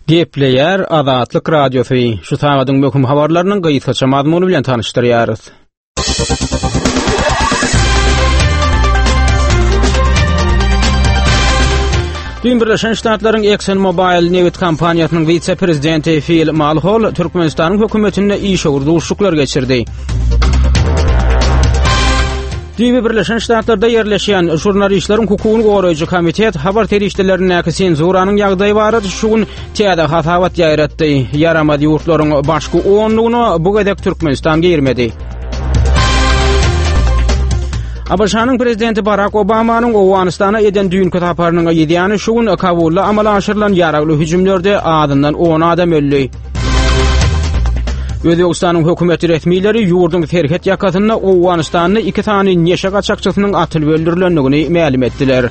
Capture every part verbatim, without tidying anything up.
Gepleýär Azatlyk Radiosy. Şu sagadyň möhüm habarlarynyň gysgaça mazmuny bilen tanyşdyrýarys. Düýn Birleşen Ştatlaryň ExxonMobil nebit kompaniýasynyň wise-prezidenti Fil Malhol Türkmenistanyň hökümetinde işewür duşuşyklar geçirdi. Düýbi Birleşen Ştatlarda ýerleşýän Žurnalistleriň hukugyny goraýjy komitet habar serişdelerindäki senzuranyň ýagdaýy barada şu gün täze hasabat ýaýratdy. Ýaramaz ýurtlaryň başky onlugyna bu gezek Türkmenistan girmedi. ABŞ-nyň prezidenti Barak Obamanyň Owganystana eden düýnki saparynyň yzýany şu gün Kabulda amala aşyrylan ýaragly hüjümlerde azyndan on adam öldi. Özbegistanyň hökümet resmileri ýurduň serhet ýakasynda Owganystanda iki sany neşe gaçakçysynyň atylyp öldürilendigini mälim etdiler.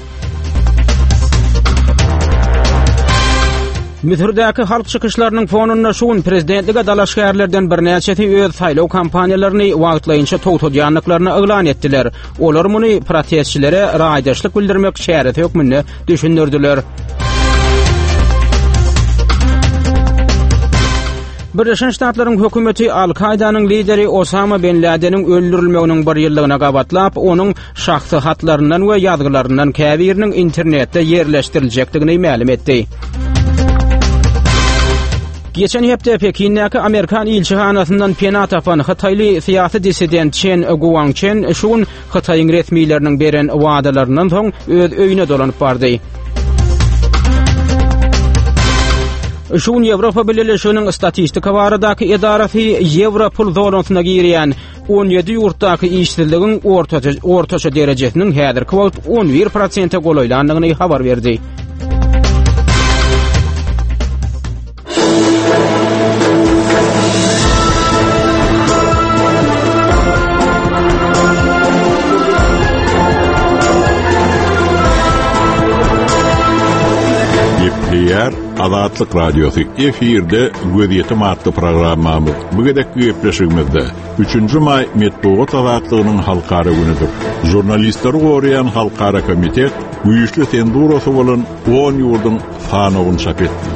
Müsürdäki halk çykyşlarynyň fonunda şu gün prezidentlige dalaşgärlerden birnäçesi öz saýlaw kampaniýalaryny wagtlaýynça togtadýandyklaryny yglan etdiler. Olar muny protestçilere raýdaşlyk bildirmek çäresi hökmünde düşündirdiler. Birleşen Ştatlaryň hökümeti Al-Kaýdanyň lideri Osama bin Ladeniň öldürilmeginiň bir ýyllygyna gabatlap, onuň şahsy hatlaryndan we ýazgylaryndan käbiriniň internetde ýerleşdiriljekdigini mälim etdi. Geçen hepde Pekindäki Amerikan ilçihanasyndan pena tapan hytaýly syýasy dissident Çen Guangçen şu gün Hytaýyň resmileriniň beren wadalaryndan soň öz öýüne dolanyp bardy. Şu gün Ýewropa Bileleşiginiň statistika baradaky edarasy ýewro pul zonasyna girýän on ýedi ýurtdaky işsizligiň ortaça, ortaça derejesiniň häzirki wagt on bir prosente golaýlandygyny habar berdi. Gepleýär Azatlyk Radiosy efirde Gözýetim atly programmamyz. Bu gezekki gepleşigimizde üçünji maý metbugat azatlygynyň halkara günüdir. Žurnalistleri goraýan halkara komitet güýçli senzurasy bolan on ýurduň sanawyny çap etdi.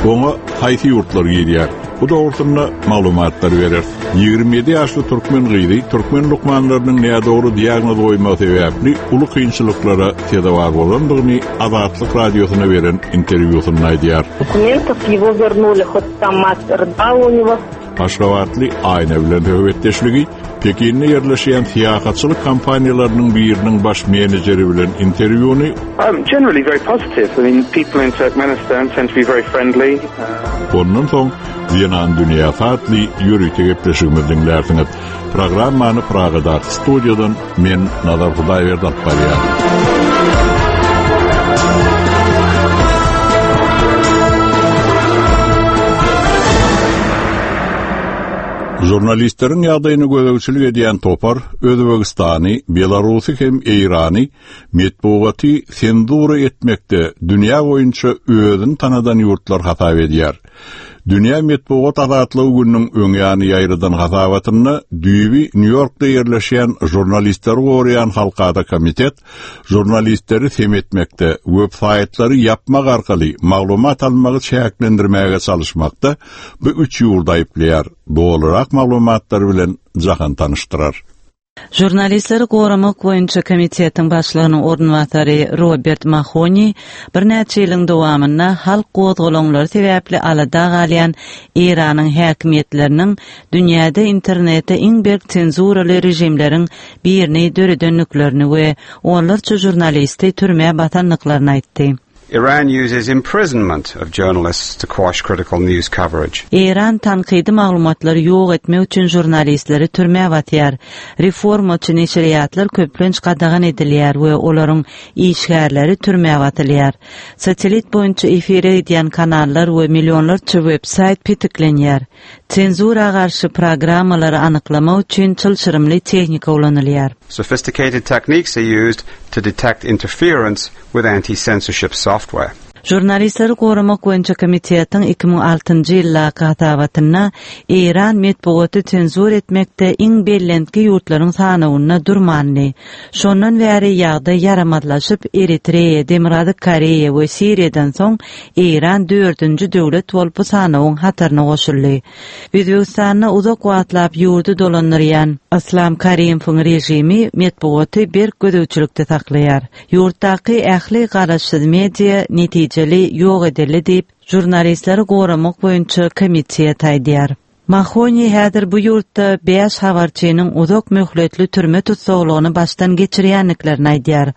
Oňa haýsy ýurtlar girýär? Bu dogrusynda maglumatlar berer. Ýigrimi ýedi ýaşly türkmen gyzy türkmen lukmanlarynyň nädogry diagnoz goýmagy sebäpli uly kynçylyklara sezewar bolandygyny Azatlyk Radiosyna beren interwýusynda aýdýar. Dokumentов его вернули, хоть там мать рыдала у него. Aşgabatly Aýna bilen söhbetdeşligi Pekinde ýerleşýän syýahatçylyk kompaniýalarynyň biriniň baş menejeri bilen interwýuny Um, generally very positive. I mean, people in Turkmenistan tend to be very friendly. Ondan soň Zenan dünýäsi atly ýörite gepleşigimizi diňlärsiňiz. Programmany Pragadaky studiýadan men Nazar Hudaýberdi alyp barýaryn. Žurnalistleriň ýagdaýyny gözegçilik edýän topar Özbegistany, Belarusy hem Eýrany metbugaty senzura etmekde dünýä boýunça özüni tanadan ýurtlar hasap edýär. Dünýä metbugat azatlygy gününiň öňýany ýaýradan hasabatynda düýbi Nýu-Ýorkda ýerleşýän žurnalistleri goraýan halkara komitet žurnalistleri sem etmekde, web-saýtlary ýapmak arkaly maglumat almagy çäklendirmäge çalyşmakda bu üç ýurdy aýyplaýar. Dolurak maglumatlar bilen Jahan tanyşdyrar. Žurnalistleri goramak boýunça komitetiň başlygynyň orunbasary Robert Mahoni birnäçe ýylyň dowamynda halk gozgalaňlary sebäpli alada galýan Eýranyň häkimiýetleriniň dünýäde internete iň berk senzuraly režimleriň birini döredenliklerini we onlarça žurnalisti türmä basandyklaryny aýtdy. Iran uses imprisonment of journalists to quash critical news coverage. Eýran tankydy maglumatlary ýok etmek üçin žurnalistleri türmä batýar. Reformaçy neşirýatlar köplenç gadagan edilýär we olaryň işgärleri türmä batylýar. Satelit boýunça efire edýän kanallar we millionlarça web-saýt petiklenýär. Senzura garşy programmalary anyklamak üçin çylşyrymly tehnika ulanylýar. Sophisticated techniques are used to detect interference with anti-censorship software. Žurnalistleri goramak boýunça komitetiň iki müň altynjy ýyldaky hasabatynda Eýran metbugaty senzur etmekde iň bellentki ýurtlaryň sanawynda durmandy. Şondan bäri ýagdaý ýaramazlaşyp, Eritreýa, Demirgazyk Koreýa we Siriýadan soň Eýran dördünji döwlet bolup bu sanawyň hataryna goşuldy. Özbegistanda uzak wagtlap ýurdy dolandyrýan Islam Karimowyň režimi metbugaty berk gözegçilikde saklaýar. Ýurtdaky ähli garaşsyz media netijeli ýok edildi diýip, žurnalistleri goramak boýunça komitet aýdýar. Mahoni häzir bu ýurtda bäş habarçynyň uzak möhletli türme tussaglygyny başdan geçirýändiklerini aýdýar.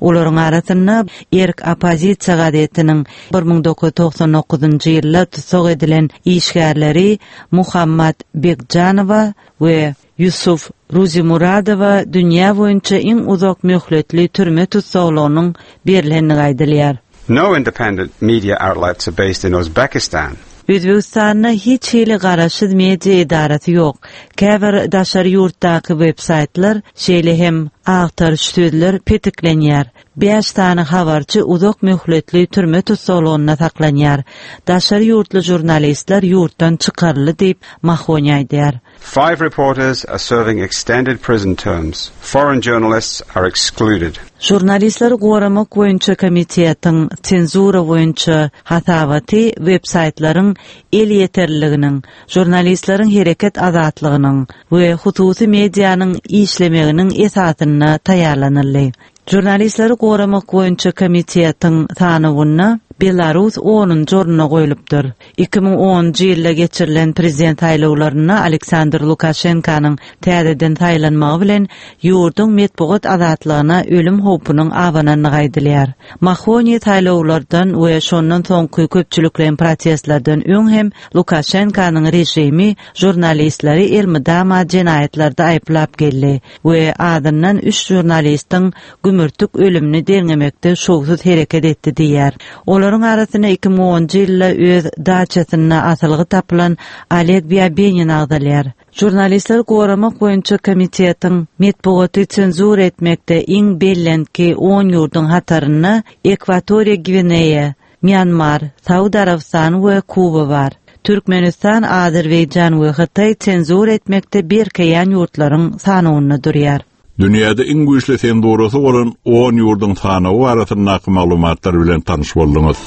Olaryň arasynda Erk oppozisiýa gazetiniň bir müň dokuz ýüz togsan dokuzynjy ýylda tussag edilen işgärleri Muhammad Begjanowa we Yusuf Ruzimuradowa dünýä boýunça iň uzak möhletli türme tussaglygynyň berilendigi aýdylýar. No independent media outlets are based in Uzbekistan. Özbegistanda hiç hili garaşsyz media edarasy ýok. Käbir daşary ýurtdaky web-saýtlar, şeýle hem agtaryş sözler petiklenýär. Bäş sany habarçy uzak möhletli türme tussaglygynda saklanýar. Daşary ýurtly žurnalistler ýurtdan çykaryldy diýip Mahoni aýdýar. Five reporters are serving extended prison terms. Foreign journalists are excluded. Žurnalistleri goramak boýunça komitetiň senzura boýunça hasabaty web-saýtlaryň elýeterliliginiň, žurnalistleriň hereket azatlygynyň we hususy medianyň işlemeginiň esasynda taýýarlanyldy. Žurnalistleri goramak boýunça komitetiň sanawynda Belarus onunjy ornuna goýlupdyr. Iki müň onunjy ýylda geçirilen prezident saýlawlarynda Aleksandr Lukaşenkanyň täzeden saýlanmagy bilen ýurduň metbugat azatlygyna ölüm howpunyň abanandygy aýdylýar. Mahoni saýlawlardan we şondan soňky köpçülikleýin protestlerden öň hem Lukaşenkanyň režimi žurnalistleri elmydama jenaýatlarda aýyplap geldi we adyndan üç žurnalistiň gümürtik ölümini derňemekde şowsuz hereket etdi diýär. Olaryň arasynda iki müň onunjy ýylda öz daçasynda asylgy tapylan Oleg Biabenin agzalýar. Žurnalistleri goramak boýunça komitetiň metbugaty senzur etmekde iň bellentki on ýurduň hatarynda Ekwatoriýa Gwineýa, Myanmar, Saud Arabystany we Kuba bar. Türkmenistan, Azerbaýjan we Hytaý senzur etmekde berkeýän ýurtlaryň sanawynda durýar. Dünýäde iň güýçli senzurasy bolan on ýurduň sanawy arasyndaky maglumatlar bilen tanyş bolduňyz.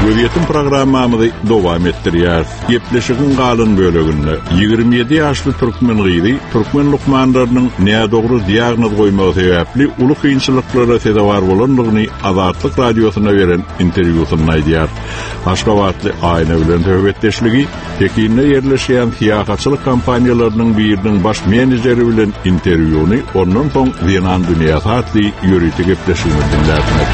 Gözýetim programmamyzy dowam etdirýär. Gepleşigiň galan böleginde ýigrimi ýedi ýaşly türkmen gyzy türkmen lukmanlarynyň nädogry diagnoz goýmagy sebäpli uly kynçylyklara sezewar bolandygyny Azatlyk radiosyna beren interwýusynda aýdýar. Aşgabatly Aýna bilen söhbetdeşligi Pekinde ýerleşýän syýahatçylyk kompaniýalarynyň biriniň baş menejeri bilen interwýuny ondan soň Zenan dünýäsi atly ýörite gepleşigini dinlersiňiz.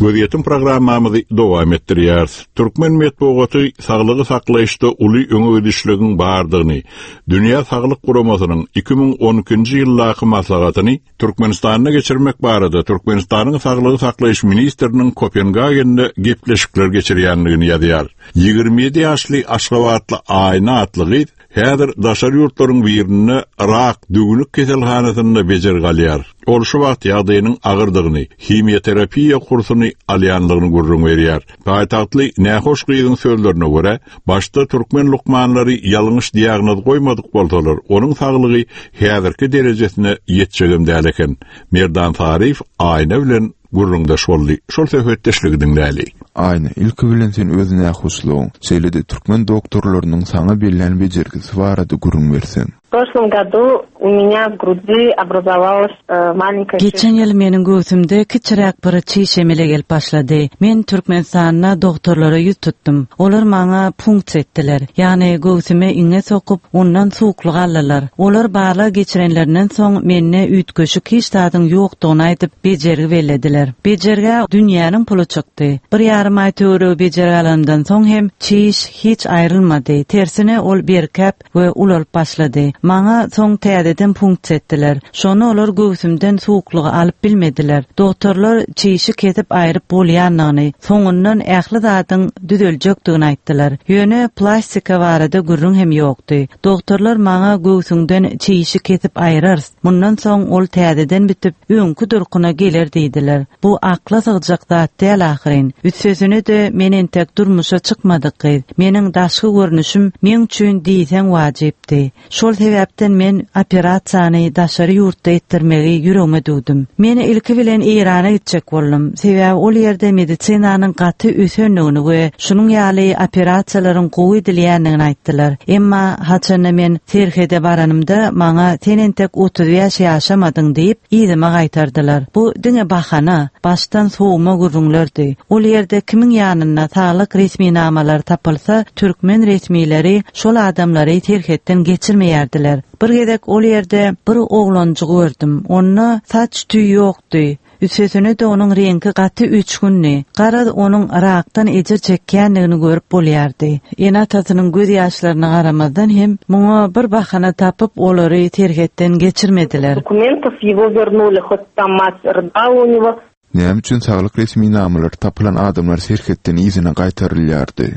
Gözýetim programmamyzy dowam etdirýäris. Türkmen metbugaty saglygy saklaýyşda uly öňe gidişligiň bardygyny, Dünýä Saglyk Guramasynyň iki müň on ikinji ýyldaky maslahatyny Türkmenistanda geçirmek barada Türkmenistanyň Saglygy saklaýyş ministriniň Kopengagende gepleşikler geçirýändigini ýazýar. Ýigrimi ýedi ýaşly Aşgabatly Aýna atly gyz häzir daşary ýurtlaryň birinde rak düwnük keselhanasynda bejergi alýar. Ol şu wagt ýagdaýynyň agyrdygyny, himioterapiýa kursuny alýandygyny gürrüň berýär. Paýtagtly nähoş gyzyň sözlerine görä, başda türkmen lukmanlary ýalňyş diagnoz goýmadyk bolsalar, onuň saglygy häzirki derejesine ýetjegem däl eken. Merdan Saryýew Aýna bilen gürrüňdeş boldy. Şol söhbetdeşligi diňläli. Aýna, ilki bilen sen öz nähoşlugyň, şeýle-de türkmen doktorlarynyň saňa bellän bejergisi barada gürrüň berseň. В прошлом году у меня в груди образовалась, э, маленькая Geçen ýyl meniň göwsümde kiçiräk bir çiş emele gelip başlady. Men Türkmenistanda doktorlara ýüz tutdum. Olar maňa punkt etdiler. Ýagny göwsüme iňe sokup, ondan suwuklyk aldylar. Olar barlag geçirenlerinden soň mende üýtgeşik hiç zadyň ýokdugyny aýdyp bejergi bellediler. Bejergä dünýäniň puly çykdy. Bir ýarym aý töweregi bejergi alandan soň hem çiş hiç aýrylmady. Tersine ol berkäp we ulalyp başlady. Maňa soň täzeden punksiýa etdiler. Şonda olar göwsümden suwuklygy alyp bilmediler. Doktorlar çişi kesip aýryp bolýandygyny, soňundan ähli zadyň düzeljekdigini aýtdylar. Ýöne plastika barada gürrüň hem ýokdy. Doktorlar maňa göwsüňden çişi kesip aýrarys. Mundan soň ol täzeden bitip öňki durkuna geler diýdiler. Bu akla sygjak zat däl ahyryn. Üstesine-de men entek durmuşa çykmadyk gyz. Meniň daşky görnüşim meň üçin diýseň wajypdy. Şol sebäpden men operasiýany daşary ýurtda etdirmegi ýüregime düwdüm. Men ilki bilen Eýrana gitjek boldum. Sebäbi ol ýerde medisinanyň gaty ösendigini we şunuň ýaly operasiýalaryň gowy edilýändigini aýtdylar. Emma haçanda men serhede baranymda maňa sen entek otuz bäş ýaşamadyň diýip yzyma gaýtardylar. Bu diňe bahana, başdan sowma gürrüňlerdi. Ol ýerde kimiň ýanynda saglyk resminamalary tapylsa, türkmen resmileri şol adamlary serhetden geçirmeýärdiler. Bir gezek ol ýerde bir oglanjyk gördüm. Onda saç tüý ýokdy. Üstesine-de onuň reňki gaty öçgündi. Garaz onuň rakdan ejir çekýändigini görüp bolýardy. Ene-atasynyň göz ýaşlaryna garamazdan hem muňa bir bahana tapyp olary serhetden geçirmediler. Документов его вернули, хоть там мать рыдала у него. Näme üçin saglyk resminamalary tapylan adamlar serhetden yzyna gaýtarylýardy?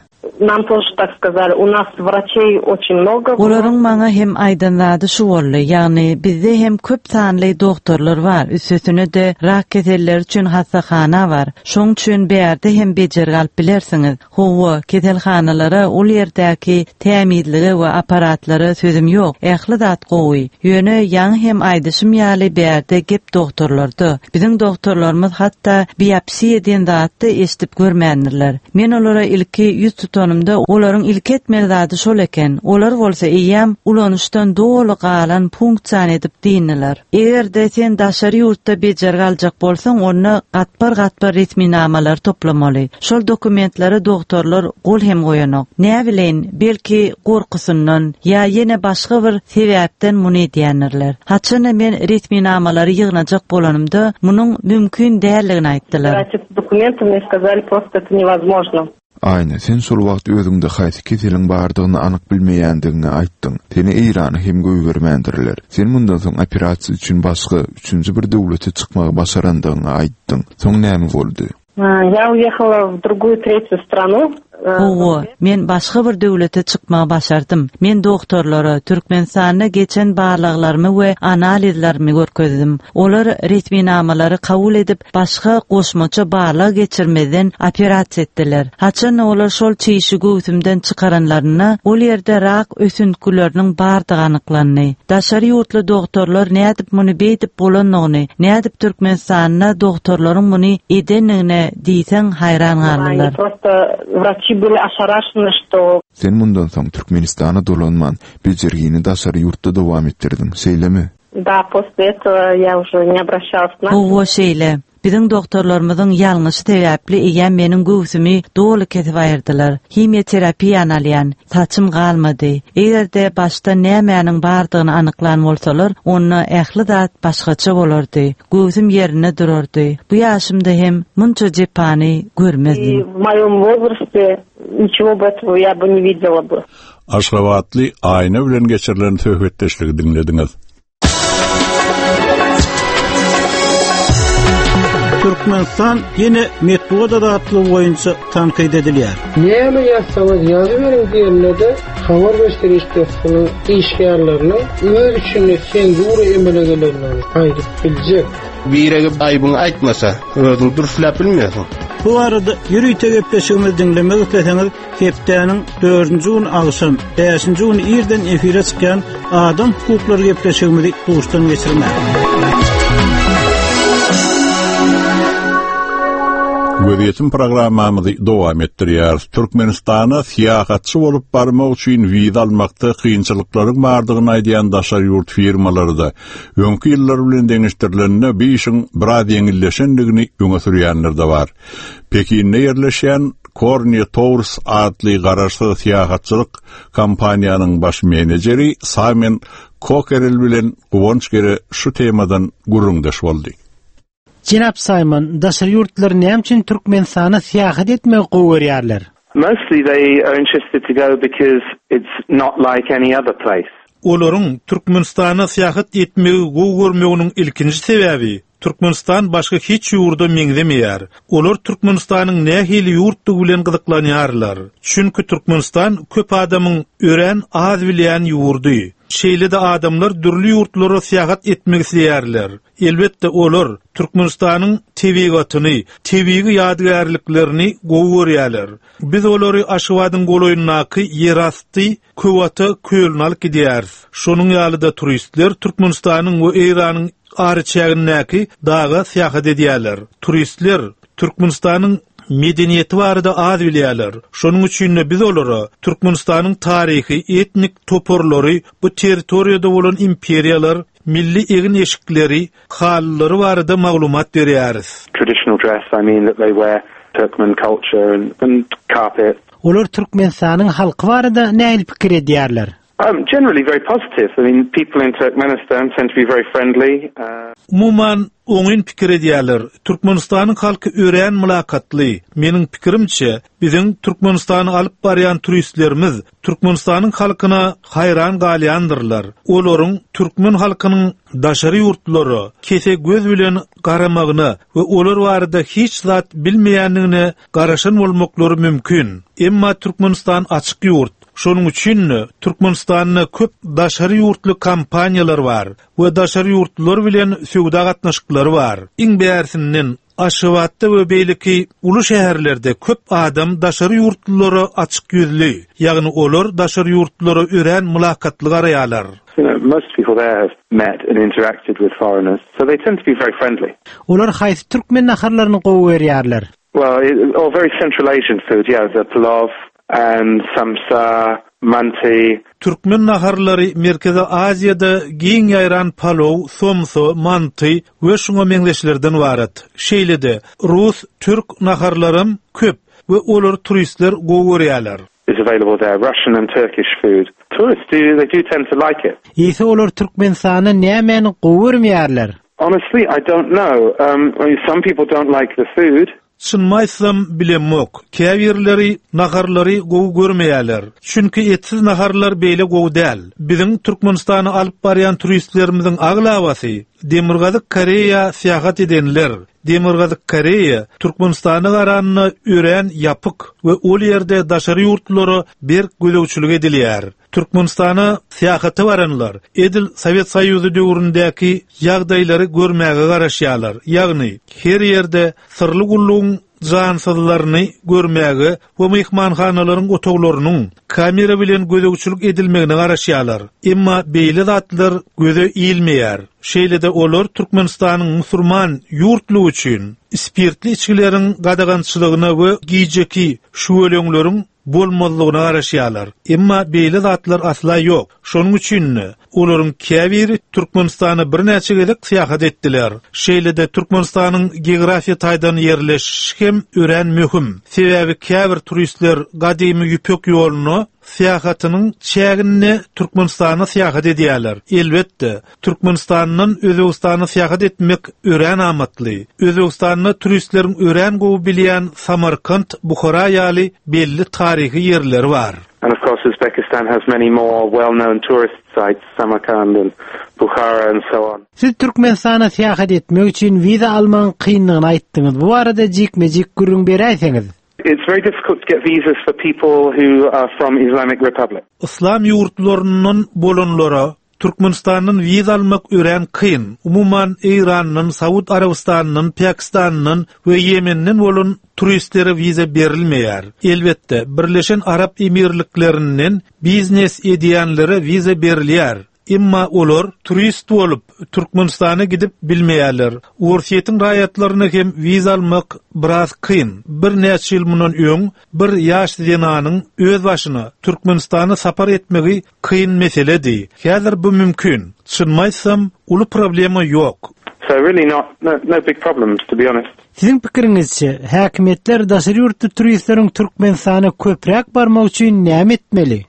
Нам тоже так сказали. У нас врачей очень много. Olaryň maňa hem aýdan zady şu boldy. Ýagny bizde hem köp sanly doktorlar bar. Üstesine-de rak keselleri üçin hassahana bar. Şoň üçin bärde hem bejergi alyp bilersiňiz. Hawa, keselhanalara ol ýerdäki tämizlige we aparatlara sözüm ýok. Ähli zat gowy. Ýöne ýaňy hem aýdyşym ýaly bärde gep doktorlarda. Biziň doktorlarymyz hatda biopsiýa diýen zatdy eşidip görmändirler. Men olara ilki ýüz tutanymda olaryň ilki etmeli zady şol eken. Olar bolsa eýýäm ulanyşdan doly galan punksiýany edip diýindiler. Eger-de sen daşary ýurtda bejergi aljak bolsaň, onda gatbar-gatbar resminamalar toplamaly. Şol dokumentlere doktorlar gol hem goýanok. Näbileýin, belki gorkusyndan ýa ýene başga bir sebäpden muny edýändirler. Haçanda men resminamalary ýygnajak bolanymda, munuň mümkin däldigini aýtdylar. Собирать документы мне сказали, просто это невозможно. Aýna, sen şol wagt özüňde haýsy keseliň bardygyny anyk bilmeýändigiňi aýtdyň. Seni Eýrana hem goýbermändirler. Sen mundan soň operasiýa üçin başga üçünji bir döwlete çykmagy başarandygyňy aýtdyň. Soň näme boldy? А, Я уехала в другую третью страну. Э, Hawa, men başga bir döwlete çykmagy başardym. Men doktorlara Türkmenistanda geçen barlaglarymy we analizlerimi görkezdim. Olar resminamalary kabul edip başga goşmaça barlag geçirmeden operasiýa etdiler. Haçan olar şol çişi göwsümden çykaranlarynda ol ýerde rak ösüntgileriniň bardygy anyklandy. Daşary ýurtly doktorlar nädip muny beýdip bolandygyny, nädip Türkmenistanda doktorlaryň muny edendigine diýseň haýran Они galdylar. просто врачи были ошарашены, что Sen mundan soň Türkmenistana dolanman, bejergini daşary ýurtda dowam etdirdiň, şeýlemi? да, после этого я уже не обращалась к Hawa şeýle. Biziň doktorlarymyzyň ýalňyşy sebäpli eýýäm meniň göwsümi doly kesip aýyrdylar. Himioterapiýany alýan, saçym galmady. Eger-de başda nämäniň bardygyny anyklan bolsalar, onda ähli zat başgaça bolardy. Göwsüm ýerinde durardy. Bu ýaşymda hem munça jepany И görmezdim. в моем возрасте ничего бы этого я бы не видела бы. Aşgabatly Aýna bilen geçirilen söhbetdeşligi diňlediňiz. Türkmenistan ýene metbugat azatlygy boýunça tankyt edilýär. Näme ýazsaňyz ýazyberiň diýenlerde habar beriş serişdesiniň işgärleriniň öz içinde senzura emele gelenlerini aýdyp biljek. Biregi aýbyňy aýtmasa, özüň dürslap bilmeýärsiň. Bu arada ýörite gepleşigimizi diňlemek isleseňiz, hepdäniň dördünji gün agşam, bäşinji gün irden efire çykýan Adam hukuklary gepleşigimizi duşdan geçirmäň. Gözýetim programmamyzy dowam etdirýär. Türkmenistana syýahatçy bolup barmak üçin wiza almakda kynçylyklaryň bardygyny aýdýan daşary ýurt firmalary-da öňki ýyllar bilen deňeşdirilende bu işiň biraz ýeňilleşendigini öňe sürýänler de bar. Pekinde ýerleşýän Korniýa Tours atly garaşsyz syýahatçylyk kompaniýanyň baş menejeri Simon Coquerel bilen Guwanç Gere şu temadan gürrüňdeş boldy. Jenap Simon, daşary ýurtlar näme üçin Türkmenistana syýahat etmegi gowy görýärler? Mostly they are interested to go because it's not like any other place. Olaryň Türkmenistana syýahat etmegi gowy görmeginiň ilkinji sebäbi Türkmenistan başga hiç ýurda meňzemeýär. Olar Türkmenistanyň nähili ýurtdygy bilen gyzyklanýarlar. Çünki Türkmenistan köp adamyň örän az bilýän ýurdy. Şeýle-de adamlar dürli ýurtlara syýahat etmek isleýärler. Elbetde olar Türkmenistanyň tebigatyny, tebigy ýadygärliklerini gowy görýärler. Biz olary Aşgabadyň golaýyndaky ýerasty Köwata kölüne alyp gidýäris. Şonuň ýaly-da turistler Türkmenistanyň we Eýranyň araçägindäki daga syýahat edýärler. Turistler Türkmenistanyň medeniýeti barada az bilýärler. Şonuň üçin-de biz olara Türkmenistanyň taryhy, etnik toparlary, bu territoriýada bolan imperiýalar, milli egin-eşikleri, halylary barada maglumat berýäris. Traditional dress, I mean that they wear Turkmen culture and, and carpet. Olar Türkmenistanyň halky barada nähili pikir edýärler? Um, generally very positive. I mean, people in Turkmenistan tend to be very friendly. Uh, Umuman oňyn pikir edýärler. Türkmenistanyň halky örän mylakatly. Meniň pikirimçe, biziň Türkmenistany alyp barýan turistlerimiz Türkmenistanyň halkyna haýran galýandyrlar. Olaryň türkmen halkynyň daşary ýurtlara kese göz bilen garamagyna we olar barada hiç zat bilmeýändigine garaşan bolmaklary mümkin. Emma Türkmenistan açyk ýurt. Şonuň üçin Türkmenistanda köp daşary ýurtly kompaniýalar bar we daşary ýurtlular bilen söwda gatnaşyklary bar. Iň bärsinden Aşgabatda we beýleki uly şäherlerde köp adam daşary ýurtlulara açyk ýüzli, ýagny olar daşary ýurtlulara örän mylakatly garaýarlar. you know, most people there have met and interacted with foreigners, so they tend to be very friendly. Olar haýsy türkmen naharlaryny gowy görýärler? Well, it, or very Central Asian food, yeah, the plov and samsa, manti. Türkmen naharlary Merkezi Aziýada giň ýaýran palow, somsa, manty we şuňa meňzeşlerden ybarat. Şeýle-de rus, türk naharlaram köp we olar turistler gowy görýärler. is available there, Russian and Turkish food. Tourists do, they do tend to like it. Eýse olar Türkmenistanda nämäni gowy görmeýärler? Honestly, I don't know. Um, I mean, some people don't like the food. Çynymy aýtsam bilemok. Käbirleri naharlary gowy görmeýärler. Çünki etsiz naharlar beýle gowy däl. Biziň Türkmenistany alyp barýan turistlerimiziň aglabasy Demirgazyk Koreýa syýahat edenler. Demirgazyk Koreýa Türkmenistana garanda örän ýapyk we ol ýerde daşary ýurtlara berk gözegçilik edilýär. Türkmenistana syýahata baranlar edil Sowet Soýuzy döwründäki ýagdaýlary görmäge garaşýarlar. Ýagny her ýerde syrly gullugyň jansyzlaryny görmäge we myhmanhanalaryň otaglarynyň kamera bilen gözegçilik edilmegine garaşýarlar. Emma beýle zatlar göze ilmeýär. Şeýle-de olar Türkmenistanyň musulman ýurtlygy üçin spirtli içgileriň gadagançylygyna we gijeki şüweleňleriň bolmazlygyna garaşýarlar. Emma beýle zatlar asla ýok. Şonuň üçin olaryň käbiri Türkmenistana birnäçe gezek syýahat etdiler. Şeýle-de Türkmenistanyň geografiýa taýdan ýerleşişi hem örän möhüm. Sebäbi käbir turistler gadymy ýüpek ýoluna syýahatynyň çäginde Türkmenistana syýahat edýärler. Elbetde, Türkmenistandan Özbegistana syýahat etmek örän amatly. Özbegistanda turistleriň örän gowy bilýän Samarkant, Buhara ýaly belli taryhy ýerleri bar. And of course, Uzbekistan has many more well-known tourist sites, Samarkand and Bukhara and so on. Siz Türkmenistana syýahat etmek üçin wiza almagyň kynlygyny aýtdyňyz. Bu barada jikme-jik gürrüň beräýseňiz. It's very difficult to get visas for people who are from Islamic Republic. Islam ýurtlaryndan bolanlara Türkmenistandan wiza almak örän kyn. Umuman Eýrandan, Saud Arabystanyndan, Pakistandan we Ýemenden bolan turistlere wiza berilmeýär. Elbetde, Birleşen Arap Emirliklerinden biznes edýänlere wiza berilýär. Emma olar turist bolup Türkmenistana gidip bilmeýärler. Orsýetiň raýatlaryna hem wiza almak biraz kyn. Bir näçe ýyl mundan öň bir ýaş zenanyň öz başyna Türkmenistana sapar etmegi kyn meseledi. Häzir bu mümkin. Çynymy aýtsam, uly problema ýok. So really not, no, no big problems, to be honest. Siziň pikiriňizçe, häkimiýetler daşary ýurtly turistleriň Türkmenistana köpräk barmak üçin näme etmeli?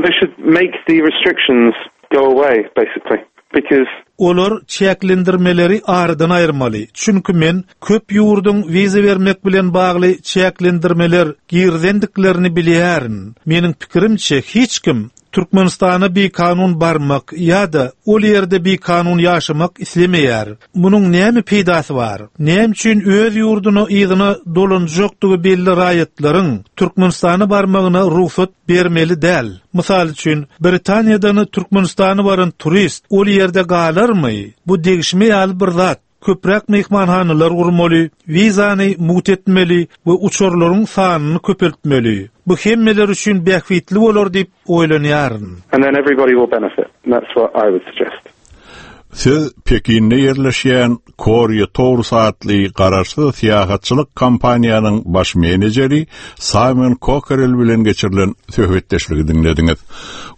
They should make the restrictions go away, basically, because Olar çäklendirmeleri aradan aýyrmaly. Çünki men köp ýurduň wiza bermek bilen bagly çäklendirmeler girizendiklerini bilýärin. Meniň pikirimçe hiç kim Türkmenistana bikanun barmak ýa-da ol ýerde bikanun ýaşamak islemeýär. Munuň näme peýdasy bar? Näme üçin öz ýurduna yzyna dolanjakdygy belli raýatlaryň Türkmenistana barmagyna rugsat bermeli däl? Mysal üçin, Britaniýadan Türkmenistana baran turist ol ýerde galarmy? Bu degişme ýaly bir zat. Köpräk mehmanhanalar gurmaly, wizany mugt etmeli we uçarlaryň sanyny köpeltmeli. Bu hemmeler üçin bähbitli bolar diýip oýlanýaryn. And then everybody will benefit. And that's what I would suggest. Siz Pekinde ýerleşýän Korea Tours atly garaşsyz syýahatçylyk kompaniýanyň baş menejeri Simon Cockerell bilen geçirilen söhbetdeşligi diňlediňiz.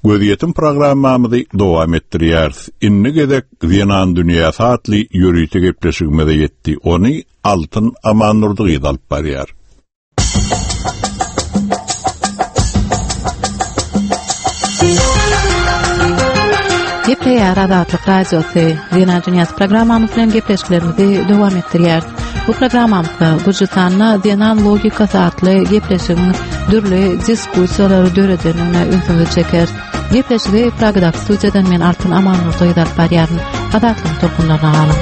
Gözýetim programmamyzy dowam etdirýäris. Indi gezek Zenan dünýäsi atly ýörite gepleşigimize ýetdi. Ony Altyn Amannurdy alyp barýar. Gepleýär Azatlyk Radiosy. Zenan dünýäsi programmamyz bilen gepleşiklerimizi dowam etdirýär. Bu programmamyzda Gürjüstanda Zenan logikasy atly gepleşigiň dürli diskussiýalary döredenine ünsüňizi çeker. Gepleşigi Pragadaky studiýadan men Altyn Amannurdy alyp barýaryn. Azatlyk tolkunlaryna galyň.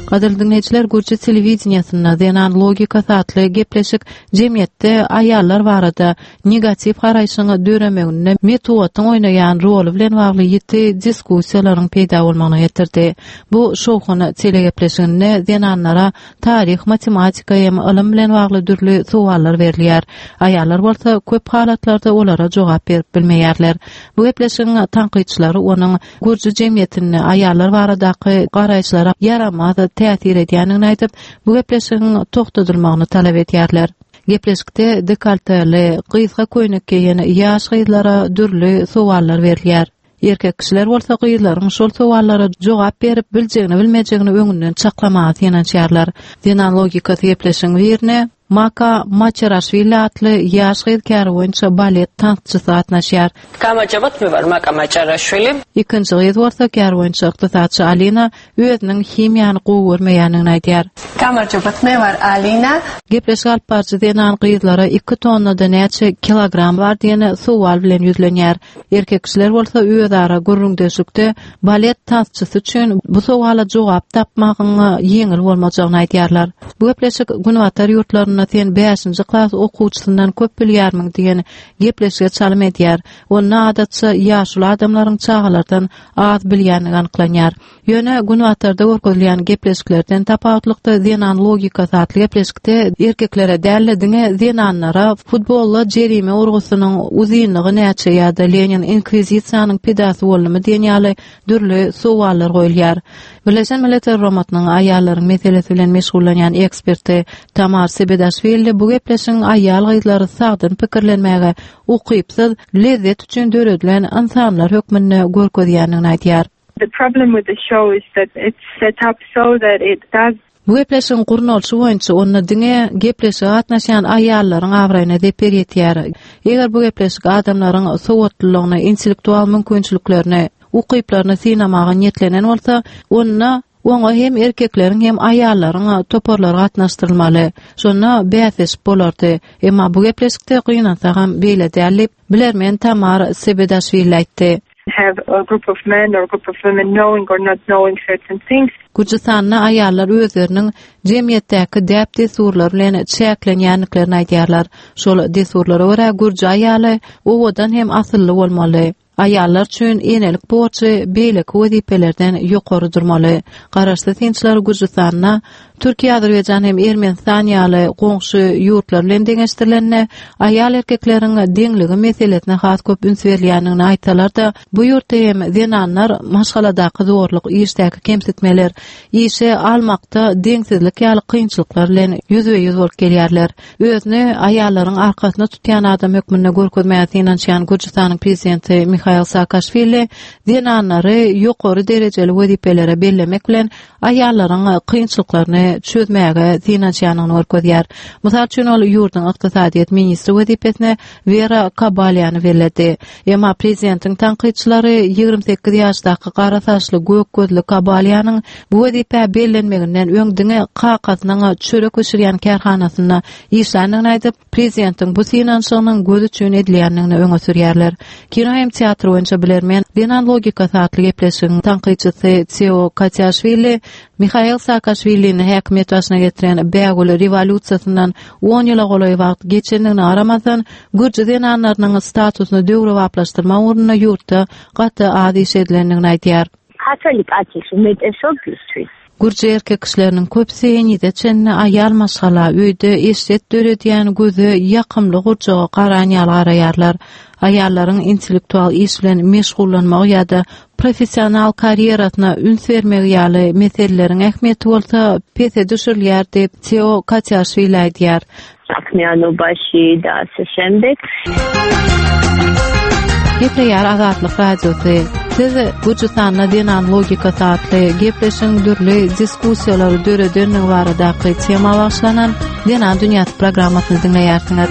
Gadyrly dinleýjiler, Gürji telewideniýasynda Zenan logikasy atly gepleşik jemgyýetde aýallar barada negatiw garaýşyň döremeginde metbugatyň oýnaýan roly bilen bagly ýiti diskussiýalaryň peýda bolmagyna getirdi. Bu şowhun telegepleşiginde zenanlara taryh, matematika hem ylym bilen bagly dürli sowallar berilýär. Aýallar bolsa köp halatlarda olara jogap berip bilmeýärler. Bu gepleşigiň tankytçylary onuň Gürji jemgyýetinde aýallar baradaky garaýyşlara ýaramaz täsir edýändigini aýdyp, bu gepleşigiň togtadylmagyny talap edýärler. Gepleşikde dekolteli, gysga köýnek geýen ýaş gyzlara dürli sowallar berilýär. Erkek kişiler bolsa gyzlaryň şol sowallara jogap berip biljegini bilmejegini öňünden çaklamaga synanyşýarlar. Zenan logikasy gepleşigiň birine Maka Maçaraşwili atly ýaş gyz käri boýunça balet tansçysy gatnaşýar. Გამარჯობათ, მე ვარ მაკა მაჭარაშვილი. Ikinji gyz bolsa käri boýunça ykdysatçy Alina özüniň himiýany gowy görmeýändigini aýdýar. გამარჯობათ, მე ვარ ალინა. Gepleşik alyp baryjy zenan gyzlara iki tonnada näçe kilogram bar diýen sowal bilen ýüzlenýär. Erkek kişiler bolsa özara gürrüňdeşlikde balet tansçysy üçin bu sowala jogap tapmagyň ýeňil bolmajagyny aýdýarlar. Bu gepleşik Günbatar ýurtlarynda sen bäşinji klas okuwçysyndan köp bilýärmiň diýen gepleşige çalym edýär. Onda adatça ýaşuly adamlaryň çagalardan az bilýänligi anyklanýar. Ýöne Günbatarda görkezilýän gepleşiklerden tapawutlykda zenan logikasy atly gepleşikde erkeklere däl diňe zenanlara futbolla jerime urgusynyň uzynlygy näçe ýa-da Lenin inkwizitsiýanyň pidasy boldumy diýen ýaly dürli sowallar goýulýar. Birleşen Milletler Guramasynyň aýallaryň meselesi bilen meşgullanýan eksperti Tamar Sebedaşwili bu gepleşigiň aýal gyzlary sagdyn pikirlenmäge ukypsyz lezzet üçin döredilen insanlar hökmünde görkezýändigini aýdýar. The problem with the show is that it's set up so that it does Bu gepleşigiň gurnalyşy boýunça onda diňe gepleşige gatnaşýan aýallaryň abraýyna zeper ýetýär. Eger bu gepleşik adamlaryň sowatlylygyny, intellektual mümkinçiliklerini, ukyplaryny synamaga niýetlenen bolsa, onda oňa hem erkekleriň hem aýallaryň toparlary gatnaşdyrylmaly. Şonda bäsleşik bolardy. Emma bu gepleşikde gynansa hem beýle däl diýip, bilermen Tamar Sebedaşwili aýtdy. have a group of men or a group of women knowing or not knowing certain things. Gürjüstanda aýallar özleriniň jemgyýetdäki däp dessurlar bilen çäklenýändiklerini aýdýarlar. Şol dessurlara görä gürji aýaly owadan hem asylly bolmaly. Aýallar üçin enelik borçy beýleki wezipelerden ýokary durmaly. Garaşsyz synçylar Gürjüstanda Türkiýe, Azerbaýjan hem Ermenistan ýaly goňşy ýurtlar bilen deňeşdirilende aýal erkekleriň deňligi meselesine has köp üns berilýändigini aýtsalar-da, bu ýurtda hem zenanlar maşgaladaky zorluk, işdäki kemsitmeler, işe almakda deňsizlik ýaly kynçylyklar bilen ýüzbe-ýüz bolup gelýärler. Özüni aýallaryň arkasyna tutýan adam hökmünde görkezmäge synanyşýan Gürjüstanyň prezidenti Mihail Saakaşwili zenanlary ýokary derejeli wezipelere bellemek bilen aýallaryň kynçylyklaryny çözmäge synanyşýanyny görkezýär. Mysal üçin ol ýurduň ykdysadyýet ministri wezipesine Wera Kabalýany belledi. Emma prezidentiň tankytçylary ýigrimi sekiz ýaşdaky gara saçly gök gözli Kabalýanyň bu wezipä bellenmeginden öň diňe kakasynyň çörek bişirýän kärhanasynda işländigini aýdyp, prezidentiň bu synanyşygynyň göz üçin edilýändigini öňe sürýärler. Kino hem teatr boýunça bilermen Zenan logikasy atly gepleşigiň tankytçysy Teo Katiaşwili Mihail Saakaşwilini häkimiýet başyna getiren Bägül rewolýusiýasyndan on ýyla golaý wagt geçendigine garamazdan, gürji zenanlarynyň statusyny döwrebaplaşdyrmak ugrunda ýurtda gaty az iş edilendigini aýdýar. Gürji erkek kişileriniň köpüsi henize çenli aýal maşgala öýde eşret döredýän göze ýakymly gurjaga garan ýaly garaýarlar. Aýallaryň intellektual iş bilen meşgullanmagy ýa-da professional karýerasyna üns bermegi ýaly meseleleriň ähmiýeti bolsa pese düşürilýär diýip Teo Katiaşwili aýdýar. Saƙmianobaşi da ase şemdek. Gepleýär Azatlyk Radiosy. Siz Gürjüstanda zenan logikasy atly gepleşigiň dürli diskussiýalary döredenligi baradaky tema bagyşlanan Zenan dünýäsi programmasyny diňleýärsiňiz.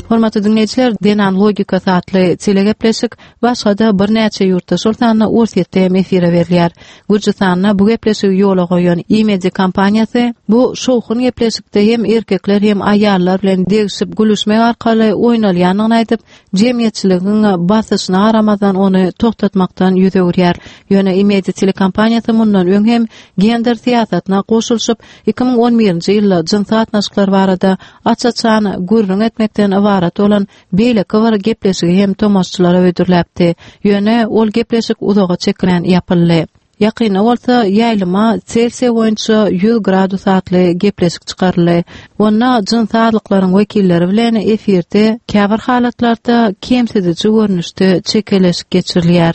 Hormatly diňleýjiler, Zenan logikasy atly telegepleşik başga-da birnäçe ýurtda, şol sanda Orsýetde hem efire berilýär. Gürjüstanda bu gepleşigi ýola goýan Imedi kompaniýasy bu şowhun gepleşikde hem erkekler hem aýallar bilen degişip gülüşmek arkaly oýnalýandygyny aýdyp, jemgyýetçiligiň basyşyna garamazdan ony toxtatmakdan ýüz öwürýär. Ýöne Imedi telekompaniýasy mundan öň hem gender syýasatyna goşulyşyp, iki müň on birinji ýylda jynsy gatnaşyklar barada aç-açan gürrüň etmekden ybarat bolan beýleki bir gepleşigi hem tomaşaçylara hödürläpdi. Ýöne ol gepleşik uzaga çekilen ýapyldy. Ýakynda bolsa ýaýlyma Selsiýa boýunça ýüz gradus atly gepleşik çykaryldy. Onda jynsy azlyklaryň wekilleri bilen efirde käbir halatlarda kemsidiji görnüşde çekeleşik geçirilýär.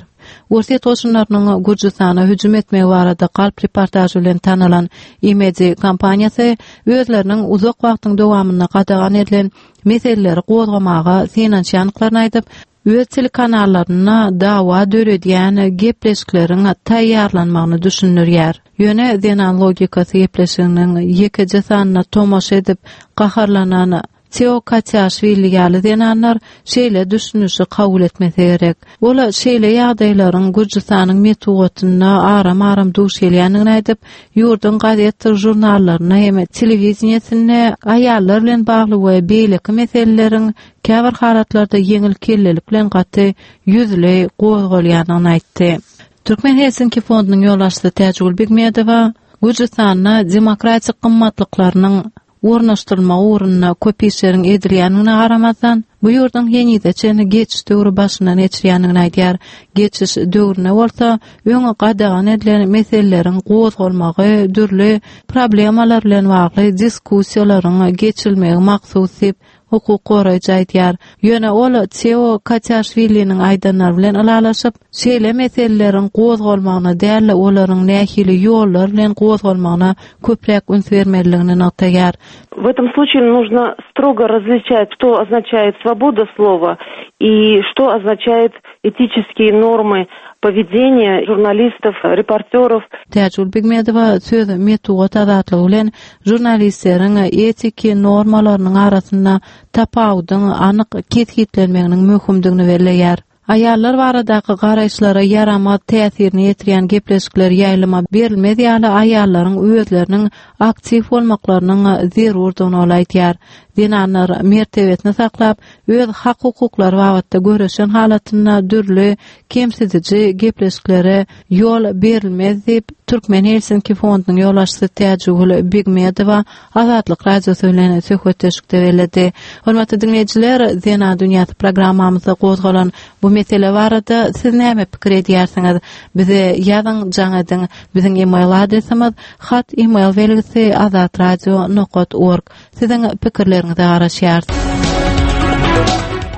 Orsýet goşunlarynyň Gürjüstana hüjüm etmegi barada galp reportaž bilen tanalan Imedi kompaniýasy özleriniň uzak wagtyň dowamynda gadagan edilen meseleleri gozgamaga synanyşýandyklaryny aýdyp, öz telekanallarynda dawa döredýän gepleşikleriň taýýarlanmagyny düşündirýär. Ýöne zenan logikasy gepleşiginiň ýekeje sanyna tomaşa edip gaharlanan Teo Katiaşwili ýaly zenanlar şeýle düşünişi kabul etmese gerek. Ol şeýle ýagdaýlaryň Gürjüstanyň metbugatynda aram-aram duş gelýändigini aýdyp, ýurduň gazetdir žurnallarynda hem telewideniýesinde aýallar bilen bagly we beýleki meseleleriň käbir halatlarda ýeňil kellelik bilen gaty ýüzli gozgalýandygyny aýtdy. Türkmen Helsinki fondunyň ýolbaşçysy Täjigül Begmedowa Gürjüstanda demokratik gymmatlyklarynyň ornaşdyrylmagy ugrunda köp işleriň edilýändigine garamazdan, bu ýurduň henize çenli geçiş döwri başyndan geçirýändigini aýdýar. Geçiş döwrüne bolsa öň gadagan edilen meseleleriň gozgalmagy, dürli problemalar bilen bagly diskussiýalaryň geçirilmegi maksus diýip hukuk goraýjy aýdýar. Ýöne ol Teo Katiaşwiliniň aýdanlary bilen ylalaşyp, şeýle meseleleriň gozgalmagyna däl, olaryň nähili ýollar bilen gozgalmagyna köpräk üns bermelidigini nygtaýar. В этом случае нужно строго различать, что означает свобода слова и что означает этические нормы поведения журналистов, репортеров. Täjigül Begmedowa söz metbugat azatlygy bilen žurnalistleriň etiki normalarynyň arasynda tapawudyň anyk kesgitlenmeginiň möhümdigini belleýär. Aýallar baradaky garaýyşlara ýaramaz täsirini ýetirýän gepleşikler ýaýlyma berilmez ýaly aýallaryň özleriniň aktiw bolmaklarynyň zerurdygyny ol aýdýar. Zenanlar mertebesini saklap, öz hak-hukuklary babatda göreşen halatynda dürli kemsidiji gepleşiklere ýol berilmez diýip Türkmen Helsinki fondunyň ýolbaşçysy Täjigül Begmedowa Azatlyk Radiosy bilen söhbetdeşlikde belledi. Hormatly diňleýjiler, Zenan dünýäsi programmamyzda gozgalan bu mesele barada siz näme pikir edýärsiňiz? Bize ýazyň, jaň ediň. Biziň e-mail adresimiz hat e-mail belgisi azatradio nokta org. Siziň pikirleriňize garaşýarys.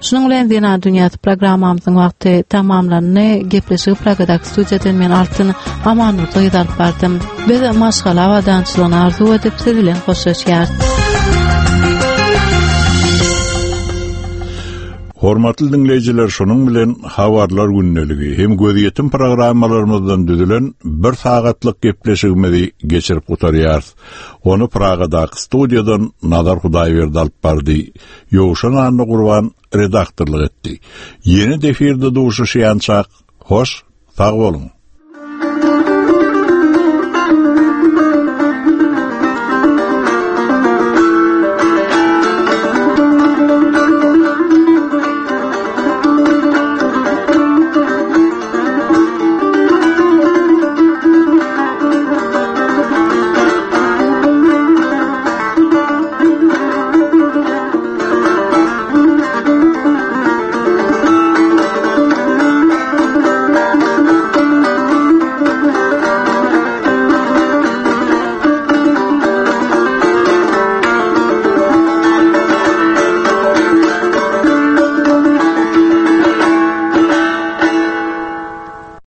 Şunuň bilen Zenan dünýäsi programmamyzyň wagty tamamlandy. Gepleşigi Pragadaky studiýadan men Altyn Amanurdy alyp bardym. Biz maşgala abadançylygyny arzuw edip siz bilen hoşlaşýarys. Hormatly diňleýjiler, şonuň bilen habarlar gündeligi hem gözýetim programmalarymyzdan düzülen bir sagatlyk gepleşigimizi geçirip gutarýarys. Ony Pragadaky studiýadan Nazar Hudaýberdi alyp bardy. Ýowşan Annagurban redaktorlyk etdi. Ýene efirde duşuşýançak, hoş, sag boluň.